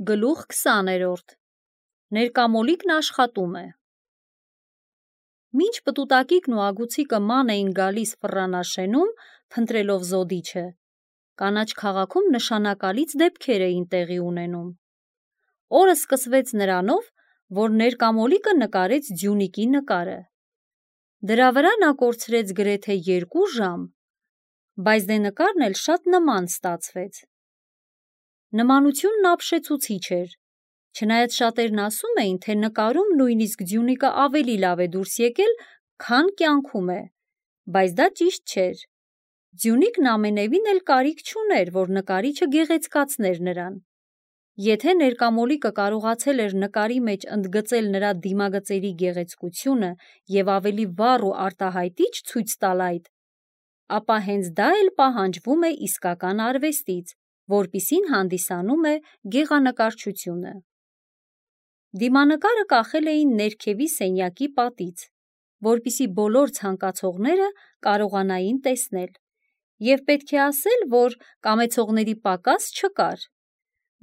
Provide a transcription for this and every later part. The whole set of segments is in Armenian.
Գլուխ 20-րդ Ներկամոլիկն աշխատում է։ Մինչ պտուտակիկն ու ագուցիկը ման էին գալիս ֆռանաշենում, փնտրելով զոդիչը, կանաչ քաղաքում նշանակալից դեպքեր էին տեղի ունենում։ Օրը սկսվեց նրանով, որ ներկամոլիկը նկարեց Ձյունիկի նկարը։ Դրա վրա նա կորցրեց գրեթե 2 ժամ, բայց դե նկարն էլ շատ նման ստացվեց։ Նմանությունն ապշեցուցիչ էր, չնայած շատերն ասում էին, թե նկարում նույնիսկ Ձյունիկը ավելի լավ է դուրս եկել, քան կյանքում է, բայց դա ճիշտ չէր։ Ձյունիկն ամենևին էլ կարիք չուներ, որ նկարիչը գեղեցկացներ նրան։ Եթե ներկամոլիկը կարողացել էր նկարի մեջ ընդգծել նրա դիմագծերի գեղեցկությունը և ավելի վառ ու արտահայտիչ ցույց տալ այդ, ապա հենց դա էլ պահանջվում է իսկական արվեստից, որպիսին հանդիսանում է գեղանկարչությունը։ Դիմանկարը կախել էին ներքևի սենյակի պատից, որպեսզի բոլոր ցանկացողները կարողանային տեսնել, և պետք է ասել, որ կամեցողների պակաս չկար։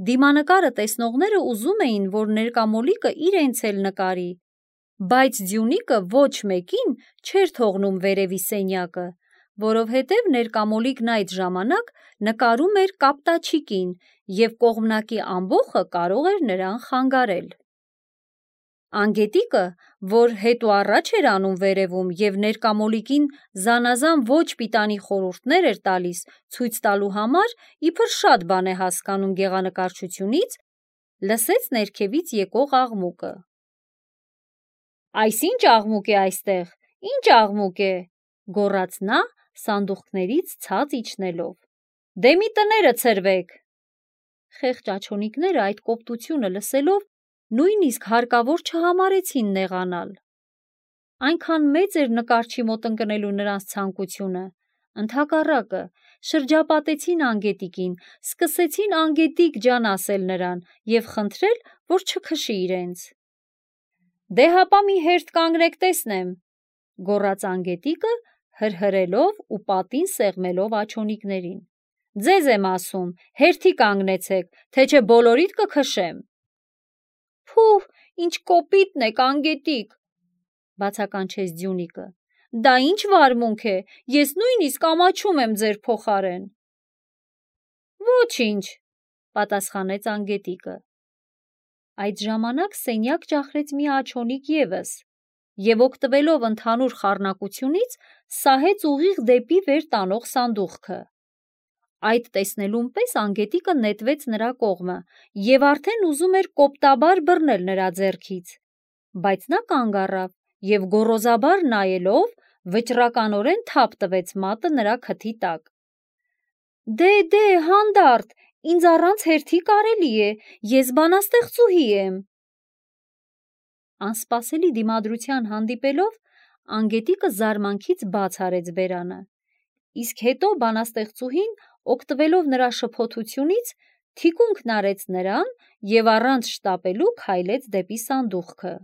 Դիմանկարը տեսնողները ուզում էին, որ ներկամոլիկը իրենց էլ նկարի, բայց Ձյունիկը ոչ մեկին չէր թողնում վերևի սենյակը, որովհետև ներկամոլիկն այդ ժամանակ նկարում էր կապտաչիկին և կողմնակի ամբոխը կարող էր նրան խանգարել։ Անգետիկը, որ հետ ու առաջ էր անում վերևում և ներկամոլիկին զանազան ոչ պիտանի խորհուրդներ էր տալիս ցույց տալու համար, իբր շատ բան է հասկանում գեղանկարչությունից, լսեց ներքևից եկող աղմուկը։ «Այս ի՞նչ աղմուկ է այստեղ, ի՞նչ աղմուկ է», գոռաց նա սանդուղքներից ցած իջնելով։ «Դե մի տները ցրվեք»։ Խեղճ աչոնիկները այդ կոպտությունը լսելով նույնիսկ հարկավոր չհամարեցին նեղանալ։ Այնքան մեծ էր նկարչի մոտ ընկնելու նրանց ցանկությունը, ընդհակառակը, շրջապատեցին անգետիկին, սկսեցին անգետիկ ջան ասել նրան և խնդրել, որ չքշի իրենց։ «Դե հապա մի հերթ կանգնեք տեսնեմ», գոռաց անգետիկը, հրհրելով ու պատին սեղմելով աչոնիկներին։ «Ձեզ եմ ասում, հերթի կանգնեցեք, թե չէ բոլորիդ կքշեմ»։ «Փուհ, ինչ կոպիտն եք, անգետիկ», բացականչեց Ձյունիկը։ «Դա ինչ վարմունք է, ես նույնիսկ ամաչում եմ ձեր փոխարեն»։ «Ոչինչ», պատասխանեց անգետիկը։ Այդ ժամանակ սենյակ ճախրեց մի աչոնիկ ևս և օգտվելով ընդհանուր խառնակությունից սահեց ուղիղ դեպի վեր տանող սանդուղքը։ Այդ տեսնելուն պես անգետիկը նետվեց նրա կողմը և արդեն ուզում էր կոպտաբար բռնել նրա ձեռքից, բայց նա կանգ առավ և գոռոզաբար նայելով վճռականորեն թափ տվեց մատը նրա քթի տակ։ «Դե, հանդարտ, ինձ առանց հերթի կարելի է, ես բանաստեղծուհի եմ»։ Անսպասելի դիմադրության հանդիպելով, անգետիկը զարմանքից բաց արեց բերանը, իսկ հետո բանաստեղծուհին, օգտվելով նրա շփոթությունից, թիկունքն արեց նրան և առանց շտապելու քայլեց դեպի սանդուղքը։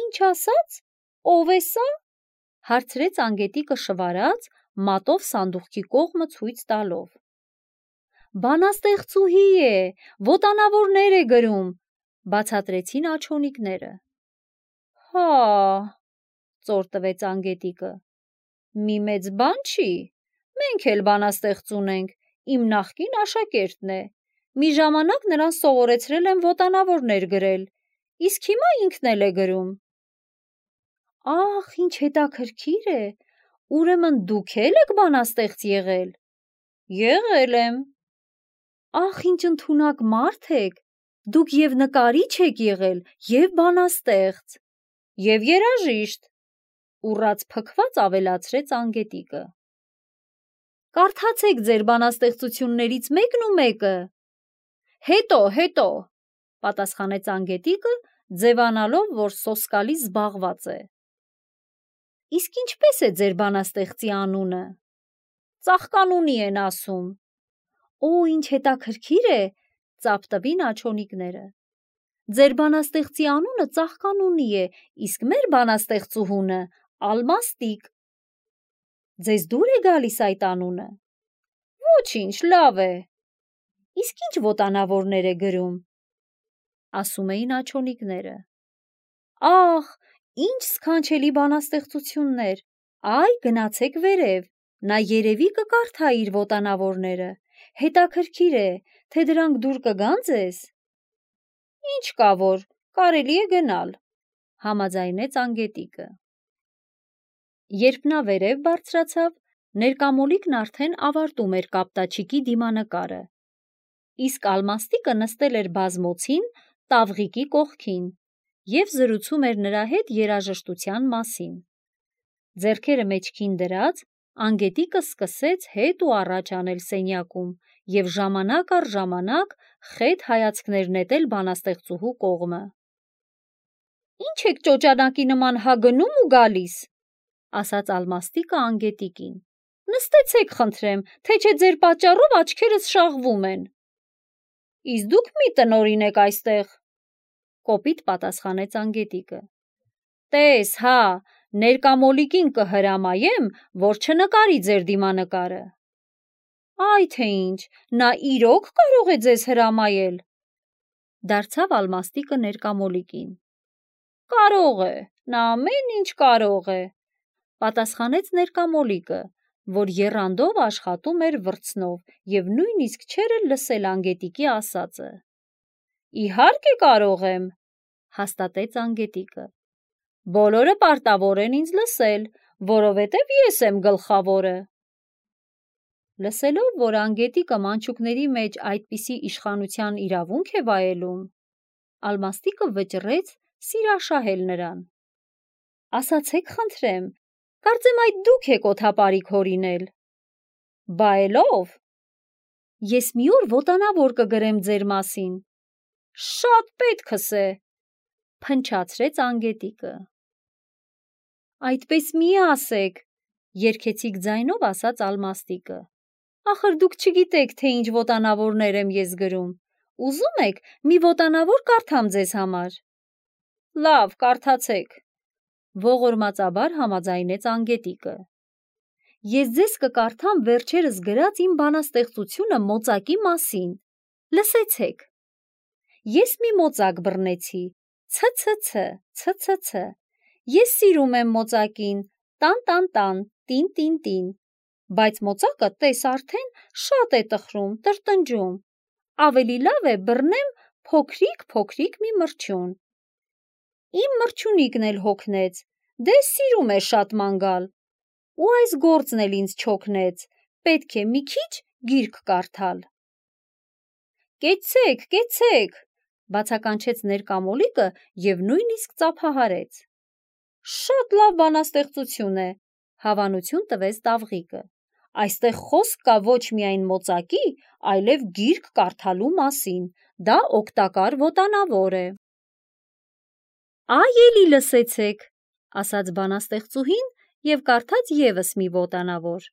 «Ինչ ասաց, ով է սա»։ հարցրեց անգետիկը շվարած, մատով սանդուղքի կողմը ցույց տալով։ «Բանաստեղծուհի է, ոտանավորներ է գրում», բացատրեցին աչոնիկները։ «Հա», ծոր տվեց անգետիկը, «մի մեծ բան չի, մենք էլ բանաստեղծ ունենք, իմ նախկին աշակերտն է, մի ժամանակ նրան սովորեցրել եմ ոտանավորներ գրել, իսկ հիմա ինքն էլ է գրում»։ «Ախ, ինչ հետաքրքիր է, ուրեմն դուք էլ եք բանաստեղծ եղել»։ «Եղել եմ»։ «Ախ, ինչ ընդունակ մարդ եք, դուք և նկարիչ եք եղել, և բանաստեղծ»։ «Եվ երաժիշտ», ուռած փքված ավելացրեց անգետիկը։ «Կարդացեք ձեր բանաստեղծություններից մեկն ու մեկը»։ Հետո, պատասխանեց անգետիկը, ձևանալով, որ սոսկալի զբաղված է։ «Իսկ ինչպե՞ս է ձեր բանաստեղծի անունը»։ «Ծաղկանունի են ասում»։ «Օ, ինչ հետաքրքիր է», ծափ տվին աչոնիկները։ «Ձեր բանաստեղծի անունը Ծաղկանունի է, իսկ մեր բանաստեղծուհունը Ալմաստիկ։ Ձեզ դուր է գալիս այդ անունը։ Ոչինչ, լավ է։ Իսկ ինչ ոտանավորներ է գրում, ասում էին աչոնիկները։ Ահ, ինչ սքանչելի բանաստեղծություններ, այ գնացեք վերև, նա երևի կկարդա իր ոտանավորները, հետաքրքիր է, թե դրանք դուր կգան ձեզ։ Ինչ կա որ, կարելի է գնալ, համաձայնեց անգետիկը։ Երբ նա վերև բարձրացավ, ներկամոլիկն արդեն ավարտում էր կապտաչիկի դիմանկարը, իսկ Ալմաստիկը նստել էր բազմոցին տավղիկի կողքին և զրուցում էր նրա հետ երաժշտության մասին։ Ձեռքերը մեջքին դրած, անգետիկը սկսեց հետ ու առաջ անել սենյակում և ժամանակ առ ժամանակ խետ հայացքներ նետել բանաստեղծուհու կողմը։ Ինչ եք ճոճանակի նման հա գնում ու գալիս, ասաց Ալմաստիկը անգետիկին։ Նստեցեք խնդրեմ, թե չէ ձեր պատճառով աչքերս շաղվում են։ Իսկ դուք մի տնօրինեք այստեղ, կոպիտ պատասխանեց անգետիկը։ Տես, հա, ներկամոլիկին կհրամայեմ, որ չնկարի ձեր դիմանկարը։ Այ թե ինչ, նա իրոք կարող է ձեզ հրամայել, դարձավ Ալմաստիկը ներկամոլիկին։ Կարող է, նա ամեն ինչ կարող է, պատասխանեց ներկամոլիկը, որ եռանդով աշխատում էր վրձնով և նույնիսկ չէր էլ լսել անգետիկի ասածը։ Իհարկե կարող եմ, հաստատեց անգետիկը։ Բոլորը պարտավոր են ինձ լսել, որովհետև ես եմ գլխավորը։ Լսելով, որ անգետիկը մանչուկների մեջ այդպիսի իշխանության իրավունք է վայելում, Ալմաստիկը վճռեց սիրաշահել նրան։ Ասացեք խնդրեմ, կարծեմ այդ դուք եք օդապարիկ հորինել։ Բա էլով։ Ես մի օր ոտանավոր կգրեմ ձեր մասին։ Շատ պետքս է, փնչացրեց անգետիկը։ Այդպես մի ասեք, երգեցիկ ձայնով ասաց Ալմաստիկը։ Ախր դուք չգիտեք, թե ինչ ոտանավորներ եմ ես գրում։ Ուզում եք մի ոտանավոր կարդամ ձեզ համար։ Լավ, կարդացեք, ողորմածաբար համաձայնեց անգետիկը։ Ես ձեզ կկարդամ վերջերս գրած իմ բանաստեղծությունը մոծակի մասին։ Լսեցեք։ Ես մի մոծակ բռնեցի, ց-ց-ց, ես սիրում եմ մոծակին, տան, տին, բայց մոծակը տես արդեն շատ է տխրում, տրտնջում, ավելի լավ է բռնեմ փոքրիկ մի մրջյուն։ Իմ մրջյունիկն էլ հոգնեց, դե սիրում է շատ ման գալ, ու այս գործն էլ ինձ չօգնեց, պետք է մի քիչ գիրք կարդալ։ Կեցցեք, բացականչեց ներկամոլիկը և նույնիսկ ծափահարեց։ Շատ լավ բանաստեղծություն է, հավանություն տվեց տավղիկը։ Այստեղ խոսք կա ոչ միայն մոծակի, այլև գիրք կարդալու մասին, դա օգտակար ոտանավոր է։ Այ էլի լսեցեք, ասաց բանաստեղծուհին և կարդաց ևս մի ոտանավոր,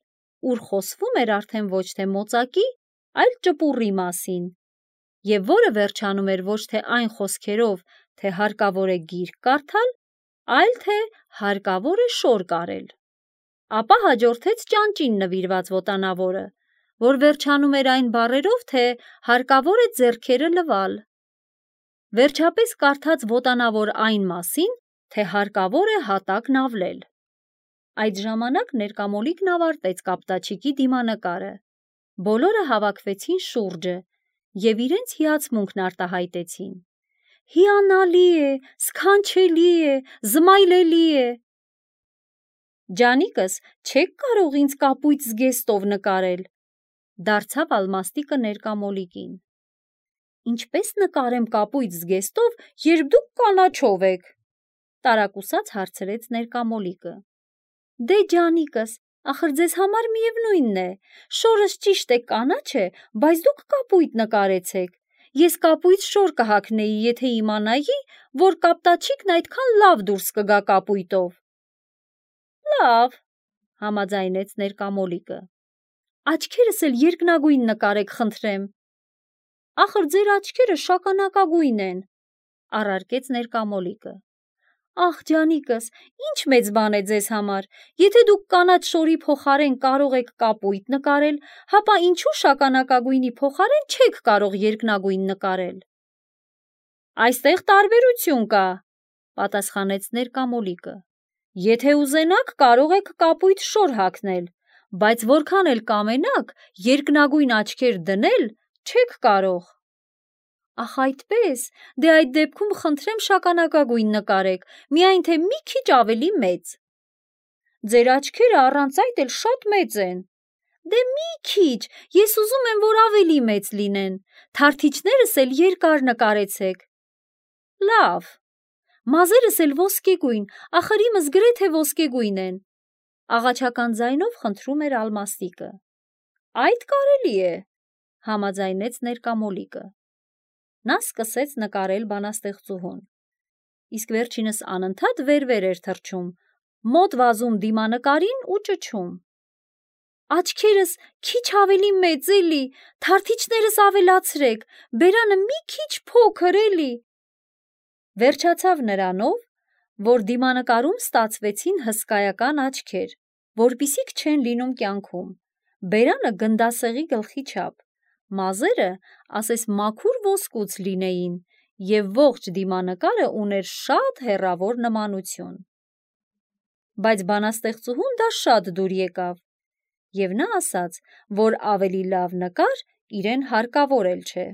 ուր խոսվում էր արդեն ոչ թե մոծակի, այլ ճպուռի մասին, և որը վերջանում էր ոչ թե այն խոսքերով, թե հարկավոր է գիրք կարդալ, այլ թե հարկավոր է շոր կարել։ Ապա հաջորդեց ճանճին նվիրված ոտանավորը, որ վերջանում էր այն բառերով, թե հարկավոր է ձեռքերը լվալ։ Վերջապես կարդաց ոտանավոր այն մասին, թե հարկավոր է հատակն ավլել։ Այդ ժամանակ ներկամոլիկն ավարտեց կապտաչիկի դիմանկարը։ Բոլորը հավաքվեցին շուրջը և իրենց հիացմունքն արտահայտեցին։ Հիանալի է, սքանչելի է, զմայլելի է։ Ջանիկս, չեք կարող ինձ կապույտ զգեստով նկարել, դարձավ Ալմաստիկը ներկամոլիկին։ Ինչպես նկարեմ կապույտ զգեստով, երբ դուք կանաչով եք, տարակուսած հարցրեց ներկամոլիկը։ Դե ջանիկս, ախր ձեզ համար միևնույնն է, շորս ճիշտ է կանաչ է, բայց դուք կապույտ նկարեցեք։ Ես կապույտ շոր կհագնեի, եթե իմանայի, որ կապտաչիկն այդքան լավ դուրս կգա կապույտով։ Լավ, համաձայնեց ներկամոլիկը։ Աչքերս էլ երկնագույն նկարեք խնդրեմ։ Ախր ձեր աչքերը շագանակագույն են, առարկեց ներկամոլիկը։ Ախ, ջանիկս, ինչ մեծ բան է ձեզ համար, եթե դուք կանաչ շորի փոխարեն կարող եք կապույտ նկարել, հապա ինչու շագանակագույնի փոխարեն չեք կարող երկնագույն նկարել։ Այստեղ տարբերություն կա, պատասխանեց ներկամոլիկը։ Եթե ուզենաք, կարող եք կապույտ շոր հագնել, բայց որքան էլ կամենաք, երկնագույն աչքեր դնել չեք կարող։ Ախ, այդպես, դե այդ դեպքում խնդրեմ շագանակագույն նկարեք, միայն թե մի քիչ ավելի մեծ։ Ձեր աչքերը առանց այդ էլ շատ մեծ են։ Դե մի քիչ, ես ուզում եմ, որ ավելի մեծ լինեն, թարթիչներս էլ երկար նկարեցեք։ Լավ, մազերս էլ ոսկեգույն, ախր իմս գրեթե ոսկեգույն են, աղաչական ձայնով խնդրում էր Ալմաստիկը։ Այդ կարելի է, համաձայնեց ներկամոլիկը։ Նա սկսեց նկարել բանաստեղծուհուն, իսկ վերջինս անընդհատ վեր-վեր էր թռչում, մոտ վազում դիմանկարին ու ճչում. Աչքերս քիչ ավելի մեծ էլի, թարթիչներս ավելացրեք, բերանը մի քիչ փոքր էլի։ Վերջացավ նրանով, որ դիմանկարում ստացվեցին հսկայական աչքեր, որպիսիք չեն լինում կյանքում, բերանը գնդասեղի գլխի չափ, մազերը ասես մաքուր ոսկուց լինեին և ողջ դիմանկարը ուներ շատ հեռավոր նմանություն։ Բայց բանաստեղծուհուն դա շատ դուր եկավ, և նա ասաց, որ ավելի լավ նկար իրեն հարկավոր էլ չէ։